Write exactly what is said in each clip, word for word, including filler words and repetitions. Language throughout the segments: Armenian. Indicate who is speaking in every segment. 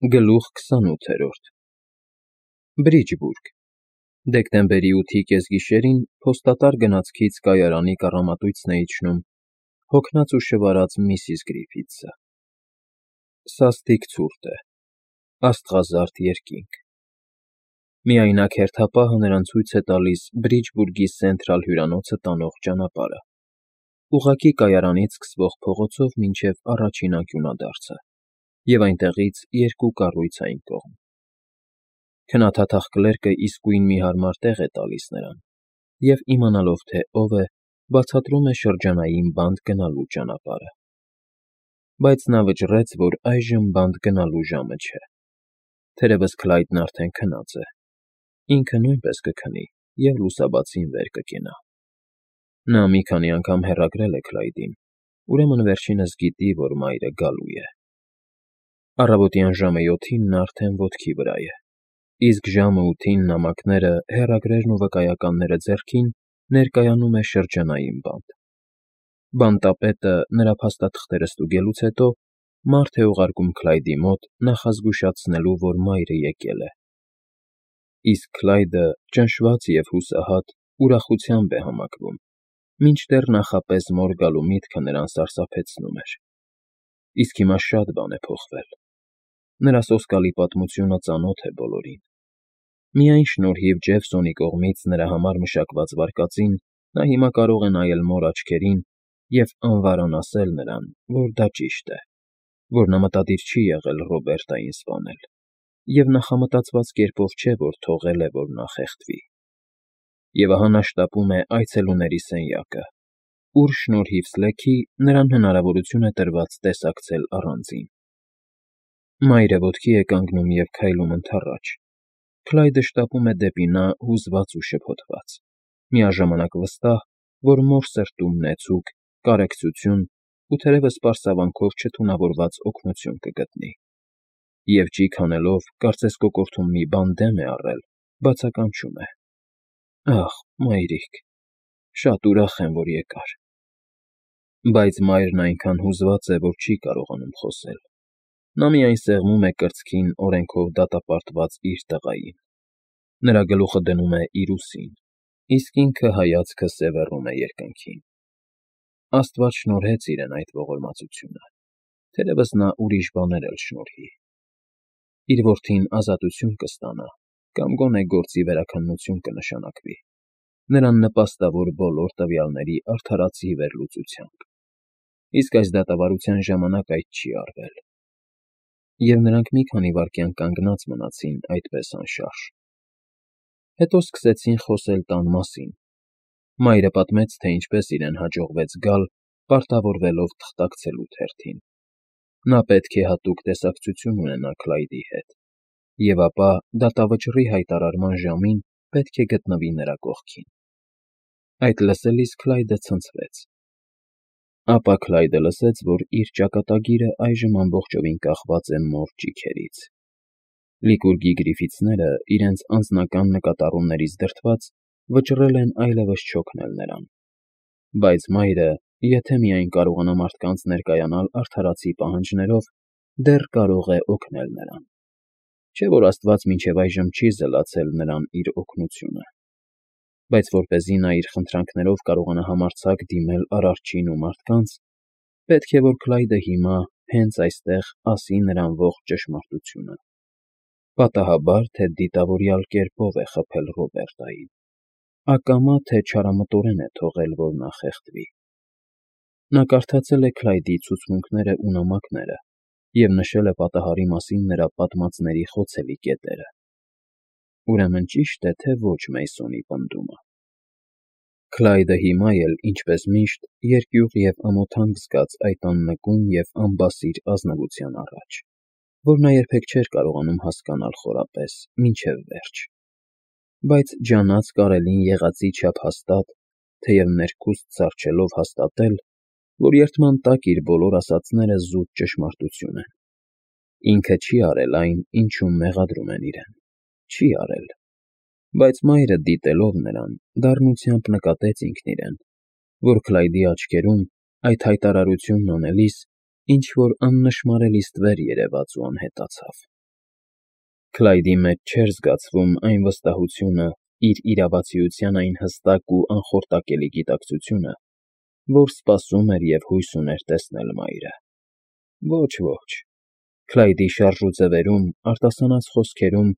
Speaker 1: Գլուխ քսանութերորդ Բրիջբուրգ Դեկտեմբերի ութի կեսգիշերին փոստատար գնացքից կայարանի կառամատույցն է իջնում հոգնած ու շվարած միսիս Գրիֆիթսը։ Սաստիկ ցուրտ է, աստղազարդ երկինք։ Միայնակ հերթապահը նրան ցույց է տալիս Բրիջբուրգի Սենթրալ հյուրանոցը տանող ճանապարհը, ուղղակի կայարանից սկսվող փողոցով մինչև առաջին անկյունադարձը, և այնտեղից երկու կառույց այն կողմ։ Քնաթաթախ կլերկը իսկույն մի հարմար տեղ է տալիս նրան և, իմանալով, թե ով է, բացատրում է շրջանային բանտ գնալու ճանապարհը։ Բայց նա վճռեց, որ այժմ բանտ գնալու ժամը չէ։ Թերևս Քլայդն արդեն քնած է, ինքը նույնպես կքնի և լուսաբացին վեր կկենա։ Նա մի քանի անգամ հեռագրել է Քլայդին, ուրեմն վերջինս գիտի, որ մայրը գալու է։ Առավոտյան ժամը յոթին նա արդեն ոտքի վրա է, իսկ ժամը ութին նամակները, հեռագրերն ու վկայականները ձեռքին, ներկայանում է շրջանային բանտ։ Բանտապետը, նրա փաստաթղթերը ստուգելուց հետո, մարդ է ուղարկում Քլայդի մոտ նախազգուշացնելու, որ մայրը եկել է։ Իսկ Քլայդը, ճնշված և հուսահատ, ուրախությամբ է համակվում, մինչդեռ նախապես մոր գալու միտքը նրան սարսափեցնում էր։ Իսկ հիմա շատ բան է փոխվել։ Նրա սոսկալի պատմությունը ծանոթ է բոլորին։ Միայն շնորհիվ Ջեֆսոնի կողմից նրա համար մշակված վարկածին նա հիմա կարող է նայել մոր աչքերին և անվարան ասել նրան, որ դա ճիշտ է, որ նա մտադիր չի եղել Ռոբերտային սպանել, և նախամտածված կերպով չէ, որ թողել է, որ նա խեղդվի։ Եվ ահա նա շտապում է այցելուների սենյակը, ուր, շնորհիվ Սլեքի, նրան հնարավորություն է տրված տեսակցել առանձին։ Մայրը ոտքի է կանգնում և քայլում ընդառաջ։ Քլայդը շտապում է դեպի նա հուզված ու շփոթված, միաժամանակ վստահ, որ մոր սրտում նեցուկ, կարեկցություն ու թերևս սպասավորանքով չթունավորված օգնություն կգտնի։ Եվ ճիգ հանելով, կարծես կոկորդում մի բան դեմ է առել, բացականչում է. «Ախ, մայրիկ, շատ ուրախ եմ, որ եկար»։ Բայց մայրն այնքան հուզված է, որ չի կարողանում խոսել։ Նա միայն սեղմում է կրծքին օրենքով դատապարտված իր տղային։ Նրա գլուխը դնում է իր ուսին, իսկ ինքը հայացքը սևեռում է երկնքին։ Աստված շնորհեց իրեն այդ ողորմածությունը, թերևս նա ուրիշ բաներ էլ շնորհի։ Իր որդին ազատություն կստանա կամ գոնե գործի վերաքննություն կնշանակվի, նրան նպաստավոր բոլոր տվյալների արդարացի վերլուծությամբ։ Իսկ այս դատավարության ժամանակ այդ չի արվել։ Եվ նրանք մի քանի վայրկյան կանգնած մնացին այդպես անշարժ։ Հետո սկսեցին խոսել տան մասին։ Մայրը պատմեց, թե ինչպես իրեն հաջողվեց գալ, պարտավորվելով թղթակցելու թերթին։ Նա պետք է հատուկ տեսակցություն ունենա Քլայդի հետ, և ապա դատավճռի հայտարարման ժամին պետք է գտնվի նրա կողքին։ Այդ լսելիս Քլայդը ցնցվեց։ Ապա Քլայդը լսեց, որ իր ճակատագիրը այժմ ամբողջովին կախված է մոր ճիգերից։ Լիկուրգի Գրիֆիթսները, իրենց անձնական նկատառումներից դրդված, վճռել են այլևս չօգնել նրան։ Բայց մայրը, եթե միայն կարողանա մարդկանց ներկայանալ արդարացի պահանջներով, դեռ կարող է օգնել նրան։ Չէ՞ որ Աստված մինչև այժմ չի զլացել նրան իր օգնությունը։ Բայց որպեսզի նա իր խնդրանքներով կարողանա համարձակ դիմել Արարչին ու մարդկանց, պետք է, որ Քլայդը հիմա, հենց այստեղ, ասի նրան ողջ ճշմարտությունը։ Պատահաբա՞ր, թե դիտավորյալ կերպով է խաբել Ռոբերտային, ակամա թե չարամտորեն է թողել, որ նա խեղդվի։ Նա կարդացել է Քլայդի ցուցմունքներն ու նամակները և նշել է պատահարի մասին նրա պատմածների խոցելի կետերը։ Ուրեմն ճի՞շտ է, թե ոչ Մեյսոնի պնդումը։ Քլայդը հիմա էլ, ինչպես միշտ, երկյուղ և ամոթանք զգաց այդ աննկուն և անբասիր ազնվության առաջ, որ նա երբեք չէր կարողանում հասկանալ խորապես, մինչև վերջ։ Բայց ջանած կարելին եղածի չափ հաստատ, թեև ներքուստ սառչելով հաստատել, որ երդման տակ իր բոլոր ասածները զուտ ճշմարտություն են։ Ինքը չի արել այն, ինչում մեղադրում են իրեն։ Չի արել։ Բայց մայրը, դիտելով նրան, դառնությամբ նկատեց ինքն իրեն, որ Քլայդի աչքերում, այդ հայտարարությունն անելիս, ինչ֊որ աննշմարելի ստվեր երևաց ու անհետացավ։ Քլայդի մեջ չէր զգացվում այն վստահությունը, իր իրավացիության այն հստակ ու անխորտակելի գիտակցությունը, որ սպասում էր և հույս ուներ տեսնել մայրը։ Ոչ, ոչ, Քլայդի շարժուձևերում, արտասանած խոսքերում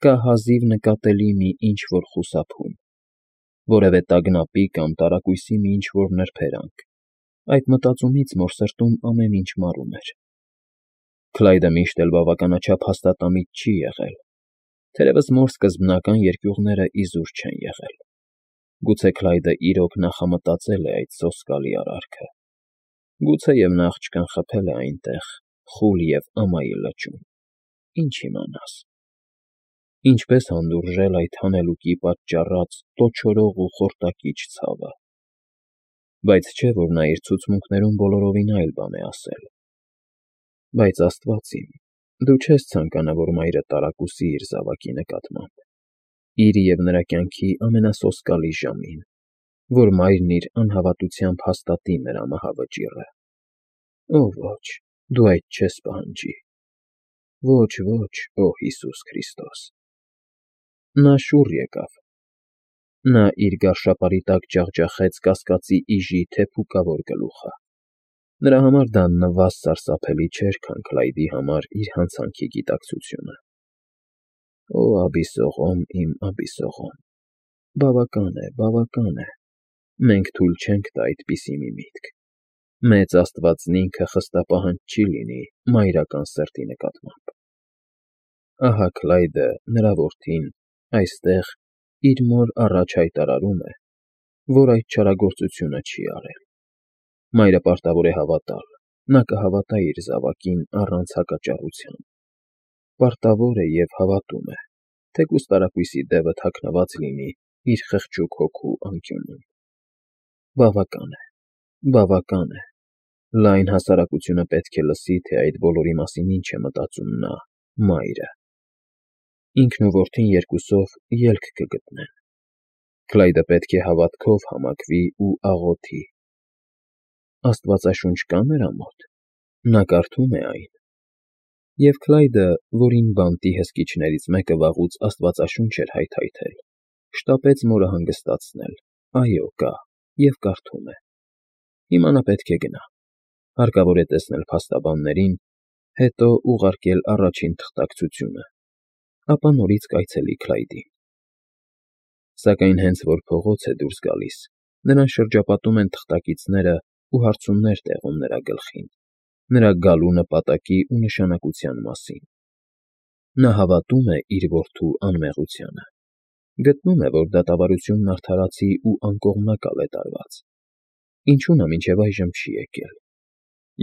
Speaker 1: կա հազիվ նկատելի մի ինչ-որ խուսափում, որևէ տագնապի կամ տարակույսի մի ինչ-որ նրբերանգ։ Այդ մտածումից մոր սրտում ամեն ինչ մարում էր։ Քլայդը միշտ էլ բավականաչափ հաստատամիտ չի եղել, թերևս մոր սկզբնական երկյուղները իզուր չեն եղել։ Գուցե Քլայդը իրոք նախամտածել է այդ սոսկալի արարքը։ Գուցեև նա աղջկան խփել է այնտեղ, խուլ և ամայի լճում, ինչ իմանաս։ Ինչպես հանդուրժել այդ հանելուկի պատճառած տոչորող ու խորտակիչ ցավը։ Բայց չէ՞ որ նա իր ցուցմունքներում բոլորովին այլ բան է ասել։ Բայց, Աստված իմ, դու չես ցանկանա, որ մայրը տարակուսի իր զավակի նկատմամբ, իր և նրա կյանքի ամենասոսկալի ժամին, որ մայրն իր անհավատությամբ հաստատի նրա մահավճիռը։ Օ ոչ, դու այդ չես պահանջի։ Ոչ, ոչ, օ Հիսուս Քրիստոս։ Նա շուռ եկավ։ Նա իր գարշապարի տակ ջախջախեց կասկածի իժի թեփուկավոր գլուխը։ Նրա համար դա նվազ սարսափելի չէր, քան Քլայդի համար իր հանցանքի գիտակցությունը։ Օ Աբիսողոմ, իմ Աբիսողոմ, բավական է, բավական է, մենք թույլ չենք տա այդպիսի մի միտք։ Մեծ Աստվածն ինքը խստապահանջ չի լինի մայրական սերտի նկատմամբ։ Ահա Քլայդը, նրա որդին, այստեղ իր մոր առաջ հայտարարում է, որ այդ չարագործությունը չի արել։ Մայրը պարտավոր է հավատալ, նա կհավատա իր զավակին առանց հակաճառության։ Պարտավոր է և հավատում է, թեկուզ տարակույսի դևը թաքնված լինի իր խղճուկ հոգու անկյունում։ Բավական է, բավական է, լայն հասարակությունը պետք է լսի, թե այդ բոլորի մասին ինչ է մտածում նա՝ մայրը։ Ինքն ու որդին երկուսով ելք կգտնեն։ Քլայդը պետք է հավատքով համակվի ու աղոթի։ Աստվածաշունչ կա՞ նրա մոտ։ Նա կարդում է այն։ Եվ Քլայդը, որին բանտի հսկիչներից մեկը վաղուց աստվածաշունչ էր հայթայթել, շտապեց մորը հանգստացնել. այո, կա, և կարդում է։ Հիմա նա պետք է գնա։ Հարկավոր է տեսնել փաստաբաններին, հետո ուղարկել առաջին թղթակցությունը, ապա նորից կայցելի Քլայդին։ Սակայն հենց որ փողոց է դուրս գալիս, նրան շրջապատում են թղթակիցները ու հարցումներ տեղում նրա գլխին, նրա գալու նպատակի ու նշանակության մասին։ Նա հավատում է իր որդու անմեղությանը։ Գտնում է, որ դատավարությունն արդարացի ու անկողմնակալ է տարված։ Ինչու նա մինչև այժմ չի եկել։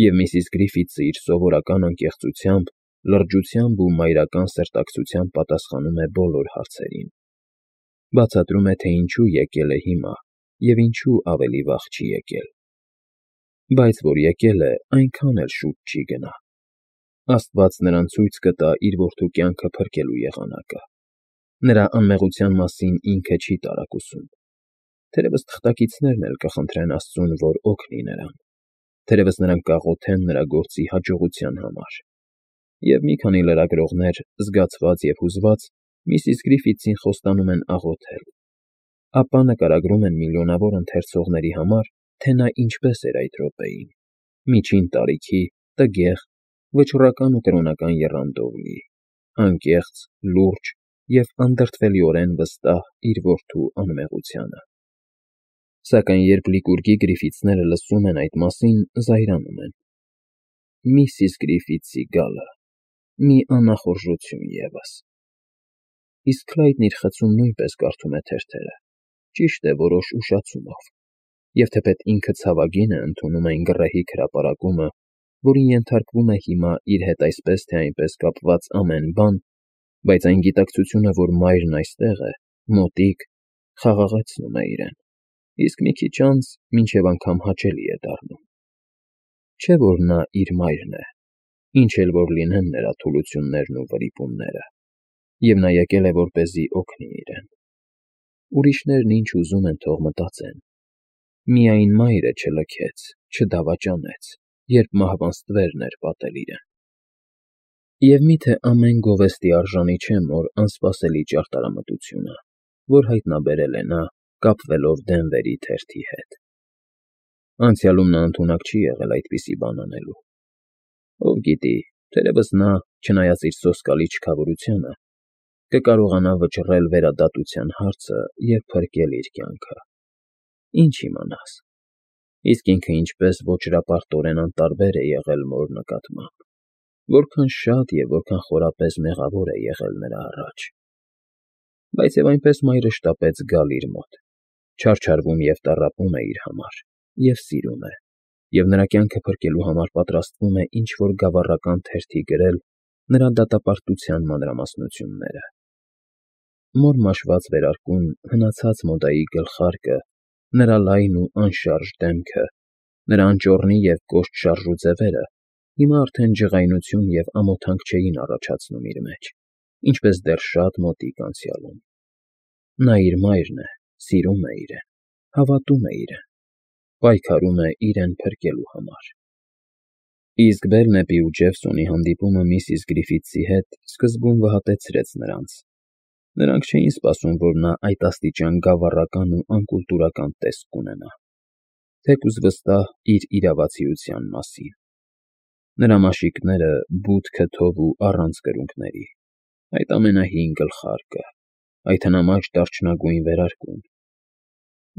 Speaker 1: Եվ միսիս Գրիֆիթսը իր սովորական անկեղծությամբ, լրջությամբ ու մայրական սերտակցությամբ պատասխանում է բոլոր հարցերին։ Բացատրում է, թե ինչու եկել է հիմա և ինչու ավելի վաղ չի եկել։ Բայց որ եկել է, այնքան էլ շուտ չի գնա։ Աստված նրան ցույց կտա իր որդու կյանքը փրկելու եղանակը։ Նրա անմեղության մասին ինքը չի տարակուսում։ Թերևս թղթակիցներն էլ կխնդրեն Աստծուն, որ օգնի նրան։ Թերևս նրանք կաղոթեն նրա գործի հաջողության համար։ Եվ մի քանի լրագրողներ, զգացված և հուզված, միսիս Գրիֆիթսին խոստանում են աղոթել։ Ապա նկարագրում են միլիոնավոր ընթերցողների համար, թե նա ինչպես էր այդ րոպեին՝ միջին տարիքի, տգեղ, վճռական ու կրոնական եռանդով լի, անկեղծ, լուրջ և անդրդվելիորեն վստահ իր որդու անմեղությանը։ Սակայն երբ Լիկուրգի Գրիֆիթսները լսում են այդ մասին, զայրանում են։ Միսիս Գրիֆիթսի գալը, մի անախորժություն ևս։ Իսկ Քլայդն իր խցում նույնպես կարդում է թերթերը, ճիշտ է, որոշ ուշացումով, և թեպետ ինքը ցավագին է ընդունում այն գռեհիկ հրապարակումը, որին ենթարկվում է հիմա իր հետ այսպես թե այնպես կապված ամեն բան, բայց այն գիտակցությունը, որ մայրն այստեղ է, մոտիկ, խաղաղեցնում է իրեն, իսկ մի քիչ անց մինչև անգամ հաճելի է դառնում։ Չէ՞ որ նա իր մայրն է, ինչ էլ որ լինեն նրա թուլություններն ու վրիպումները, և նա եկել է որպեսզի օգնի իրեն։ Ուրիշներն ինչ ուզում են թող մտածեն։ Միայն մայրը չլքեց, չդավաճանեց, երբ մահվան ստվերն էր պատել իրեն։ Եվ միթե ամեն գովեստի արժանի չէ մոր անսպասելի ճարտարամտությունը, որ հայտնաբերել է նա, կապվելով Դենվերի թերթի հետ։ Անցյալում նա ընդունակ չի եղել այդպիսի բան անելու։ Ով գիտի, թերևս նա, չնայած իր սոսկալի չքավորությանը, կկարողանա վճռել վերադատության հարցը և փրկել իր կյանքը։ Ինչ իմանաս, իսկ ինքը ինչպես ոճրապարտորեն անտարբեր է եղել մոր նկատմամբ, որքան շատ և որքան խորապես մեղավոր է եղել նրա առաջ։ Բայց և այնպես մայրը շտապեց գալ իր մոտ, չարչարվում և տառապում է իր համար, և սիրում է, և նրա կյանքը փրկելու համար պատրաստվում է ինչ֊որ գավառական թերթի գրել նրա դատապարտության մանրամասնությունները։ Մոր մաշված վերարկուն հնացած մոդայի գլխարկը, նրա լայն ու անշարժ դեմքը, նրա անճոռնի և կոշտ շարժու ձևերը հիմա արդեն ջղայնություն և ամոթանք չէին առաջացնում իր մեջ, ինչպես դեռ շատ մոտիկ անցյալում։ Նա իր մայրն է, սիրում է իրեն, հավատում է իրեն, պայքարում է իրեն փրկելու համար։ Իսկ Բերնեպի ու Ջեֆսոնի հանդիպումը միսիս Գրիֆիթսի հետ սկզբում վհատեցրեց նրանց։ Նրանք չէին սպասում, որ նա այդ աստիճան գավառական ու անկուլտուրական տեսք կունենա, թեկուզ վստահ իր իրավացիության մասին։ Նրա մաշիկները բութ քթով ու առանց կրունկների, այդ ամենահին գլխարկը, այդ հնամաշ դարչնագույն վերարկուն։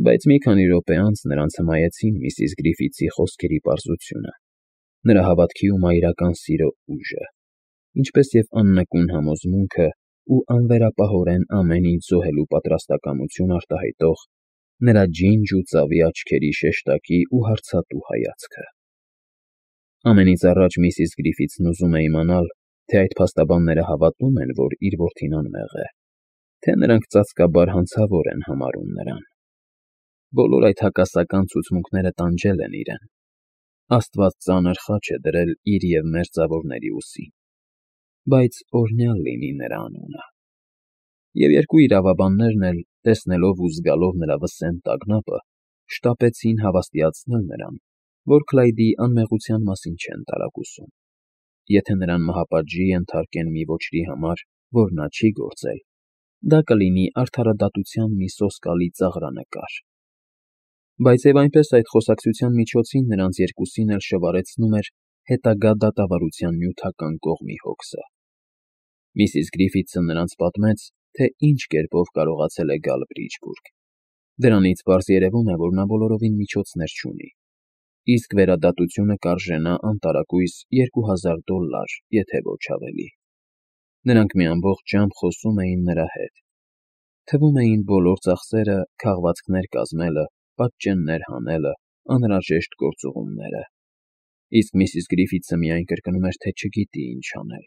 Speaker 1: Բայց մի քանի րոպե անց նրանց հմայեցին միսիս Գրիֆիթսի խոսքերի պարզությունը, նրա հավատքի ու մայրական սիրո ուժը, ինչպես և աննկուն համոզմունքը ու անվերապահորեն ամեն ինչ զոհելու պատրաստակամություն արտահայտող նրա ջինջ ու ծավի աչքերի շեշտակի ու հարցատու հայացքը։ Ամենից առաջ միսիս Գրիֆիթսն ուզում է իմանալ, թե այդ փաստաբանները հավատում են, որ իր որդին անմեղ է, թե նրանք ծածկաբար հանցավոր են համարում նրան։ Բոլոր այդ հակասական ցուցմունքները տանջել են իրեն։ Աստված ծանր խաչ է դրել իր և մերձավորների ուսին, բայց օրհնյալ լինի նրա անունը։ Եվ երկու իրավաբաններն էլ, տեսնելով ու զգալով նրա վսեմ տագնապը, շտապեցին հավաստիացնել նրան, որ Քլայդի անմեղության մասին չեն տարակուսում։ Եթե նրան մահապատժի ենթարկեն մի ոճրի համար, որ նա չի գործել, դա կլինի արդարադատության մի սոսկալի ծաղրանկար։ Բայց և այնպես այդ խոսակցության միջոցին նրանց երկուսին էլ շվարեցնում էր հետագա դատավարության նյութական կողմի հոգսը։ Միսիս Գրիֆիթսը նրանց պատմեց, թե ինչ կերպով կարողացել է գալ Բրիջբուրգ։ Դրանից պարզ երևում է, որ նա բոլորովին միջոցներ չունի, իսկ վերադատությունը կարժենա անտարակույս երկու հազար դոլլար, եթե ոչ ավելի։ Նրանք մի ամբողջ ժամ խոսում էին նրա հետ։ Թվում էին բոլոր ծախսերը, քաղվածքներ կազմելը, պատճեններ հանելը, անհրաժեշտ գործուղումները։ Իսկ միսիս Գրիֆիթսը միայն կրկնում էր, թե չգիտի ինչ անել։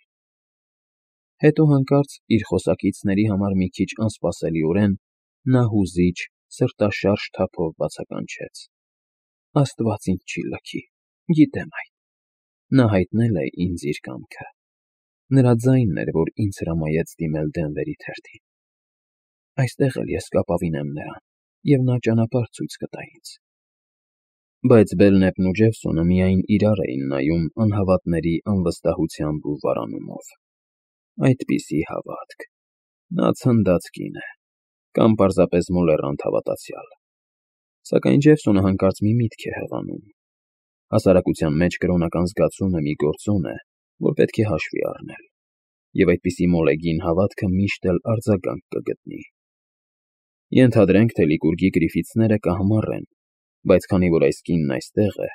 Speaker 1: Հետո հանկարծ իր խոսակիցների համար մի քիչ անսպասելիորեն նա հուզիչ, սրտաշարժ թափով բացականչեց. Աստված ինձ չի լքի, գիտեմ այդ։ Նա հայտնել է ինձ իր կամքը։ Նրա ձայնն էր, որ ինձ հրամայեց դիմել Դենվերի թերթին։ Այստեղ էլ ես կապավինեմ նրան, և նա ճանապարհ ցույց կտա ինձ։ Բայց Բելնեպն ու Ջեֆսոնը միայն իրար էին նայում անհավատների անվստահությամբ ու վարանումով։ Այդպիսի հավատք։ Նա ցնդած կին է, կամ պարզապես մոլեռանդ հավատացյալ։ Սակայն Ջեֆսոնը հանկարծ մի միտք է հղանում։ Հասարակության մեջ կրոնական զգացումը մի գործոն է, որ պետք է հաշվի առնել, և այդպիսի մոլեգին հավատքը միշտ էլ արձագանք կգտնի։ Ենթադրենք, թե Լիկուրգի Գրիֆիթսները կահմառ են, բայց քանի որ այս կինն այստեղ է,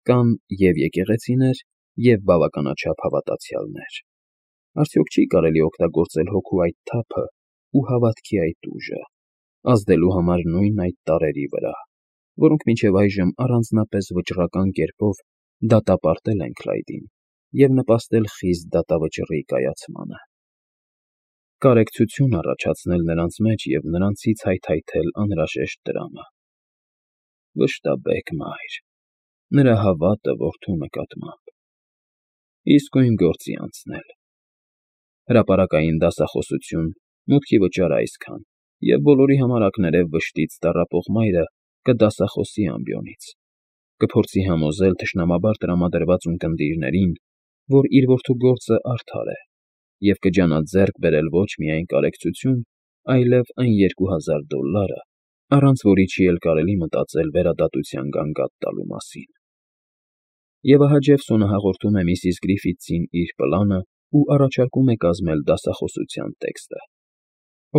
Speaker 1: կան և՛ եկեղեցիներ, և՛ բավականաչափ հավատացյալներ։ Արդյոք չի՞ կարելի օգտագործել հոգու այդ թափն ու հավատքի այդ ուժը, ազդելու համար նույն այդ տարրերի վրա, որոնք մինչև այժմ առանձնապես վճռական կերպով դատապարտել են Քլայդին և նպաստել խիստ դատավճռի կայացմանը։ Կարեկցություն առաջացնել նրանց մեջ և նրանցից հայթայթել անհրաժեշտ տրամը։ Վշտաբեկ մայր, նրա հավատը որդու նկատմամբ։ Իսկույն գործի անցնել։ Հրապարակային դասախոսություն, մուտքի վճար այսքան, և բոլորի համար ակներև վշտից տառապող մայրը կդասախոսի ամբիոնից, կփորձի համոզել թշնամաբար տրամադրված ունկնդիրներին, որ իր որդու գործը արդար է, և կջանա ձեռք բերել ոչ միայն կարեկցություն, այլև այն երկու հազար դոլլարը, առանց որի չի էլ կարելի մտածել վերադատության գանգատ տալու մասին։ Եվ ահա Ջեֆսոնը հաղորդում է միսիս Գրիֆիթսին իր պլանը ու առաջարկում է կազմել դասախոսության տեքստը,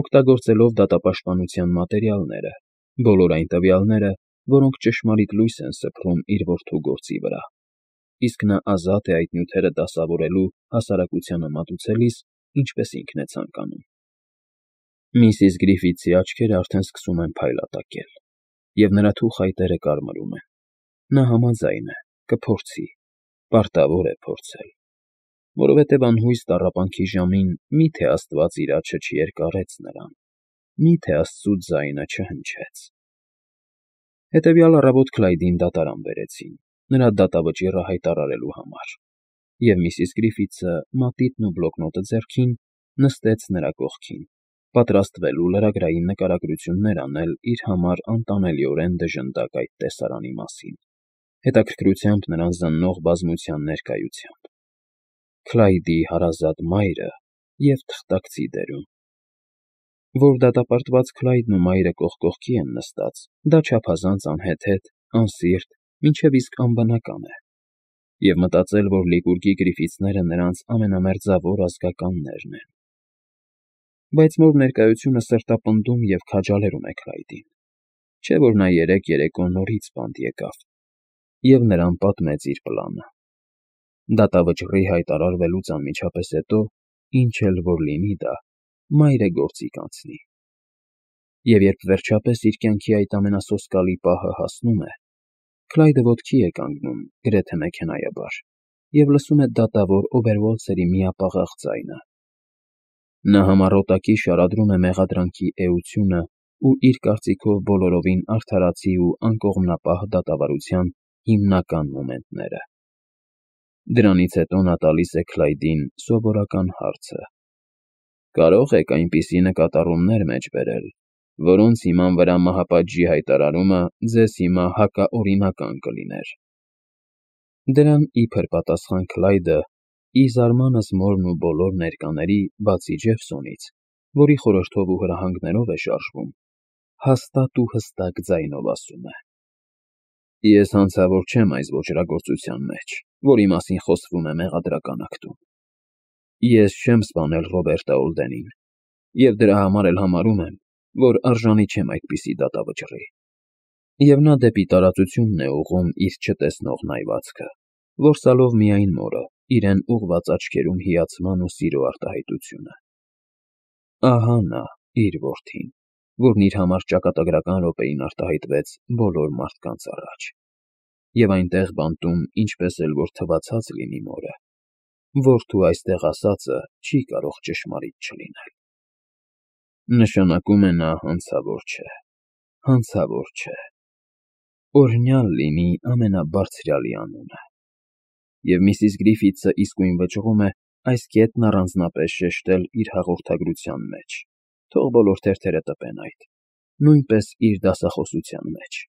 Speaker 1: օգտագործելով դատապաշտպանության մատերիալները, բոլոր այն տվյալները, որոնք ճշմարիտ լույս են սփռում իր որդու գործի վրա, իսկ նա ազատ է այդ նյութերը դասավորելու հասարակությանը մատուցելիս, ինչպես ինքն է ցանկանում։ Միսիս Գրիֆիթսի աչքերը արդեն սկսում են փայլատակել, և նրա թուխայտերը կարմրում են։ Նա համաձայն է, կփորձի, պարտավոր է փորձել, որովհետև անհույս տառապանքի ժամին մի՞թե Աստված իր աջը չերկարեց նրան, մի՞թե Աստծու ձայնը չհնչեց։ Հետևյալ առավոտ Քլայդին դատարան բերեցին, նրա դատավճիռը հայտարարելու համար, և միսիս Գրիֆիթսը, մատիտն ու բլոկնոտը ձեռքին, նստեց նրա կողքին, պատրաստվելու լրագրային նկարագրություններ անել իր համար անտանելիորեն դժնդակ այդ տեսարանի մասին, հետաքրքրությամբ նրան զննող բազմության ներկայությամբ։ Քլայդի հարազատ մայրը և թղթակցի դերում։ Որ դատապարտված Քլայդն ու մայրը կողք կողքի են նստած, դա չափազանց անհեթեթ, անսիրտ, մինչև իսկ անբնական է, և մտածել, որ Լիկուրգի Գրիֆիթսները նրանց ամենամերձավոր ազգականներն են։ Բայց մոր ներկայությունը սրտապնդում և քաջալերում է Քլայդին, չէ՞ որ նա երեկ երեկո նորից բանտ եկավ և նրան պատմեց իր պլանը։ Դատավճռի հայտարարվելուց անմիջապես հետո, ինչ էլ որ լինի դա, մայրը գործի կանցնի։ Եվ երբ վերջապես իր կյանքի այդ ամենասոսկալի պահը հասնում է, Քլայդը ոտքի է կանգնում, գրեթե մեքենայաբար, և լսում է դատավոր Օբերվոլցերի միապաղաղ ձայնը։ Նա համառոտակի շարադրում է մեղադրանքի էությունը ու իր կարծիքով բոլորովին արդարացի ու անկողմնապահ դատավարության հիմնական մոմենտները։ Դրանից հետո նա տալիս է Քլայդին սովորական հարցը. «Կարո՞ղ եք այնպիսի նկատառումներ մեջ բերել, որոնց հիման վրա մահապատժի հայտարարումը ձեզ հիմա հակաօրինական կլիներ»։ Դրան իբր պատասխան Քլայդը, ի զարմանս մորն ու բոլոր ներկաների, բացի Ջեֆսոնից, որի խորհրդով ու հրահանգներով է շարժվում, հաստատ ու հստակ ձայնով ասում է. «Ես հանցավոր չեմ այս ոճրագործության մեջ, որի մասին խոսվում է մեղադրական ակտում։ Ես չեմ սպանել Ռոբերտը Օլդենին, և դրա համար էլ համարում եմ, որ արժանի չեմ այդպիսի դատավճռի»։ Եվ նա դեպի տարածությունն է ուղղում իր չտեսնող նայվածքը, որսալով միայն մորը, իրեն ուղղված աչքերում հիացման ու սիրո արտահայտությունը։ Ահա նա, իր որդին, որն իր համար ճակատագրական րոպեին արտահայտվեց բոլոր մարդկանց առաջ, և այնտեղ բանտում, ինչպես էլ որ թվացած լինի մորը, որդու այստեղ ասածը չի կարող ճշմարիտ չլինել։ Նշանակում է նա հանցավոր չէ, հանցավոր չէ։ Օրհնյալ լինի ամենաբարձրյալի անունը։ Եվ միսիս Գրիֆիթսը իսկույն վճռում է այս կետն առանձնապես շեշտել իր հաղորդագրության մեջ, թող բոլոր թերթերը տպեն այդ, նույնպես իր դասախոսության մեջ։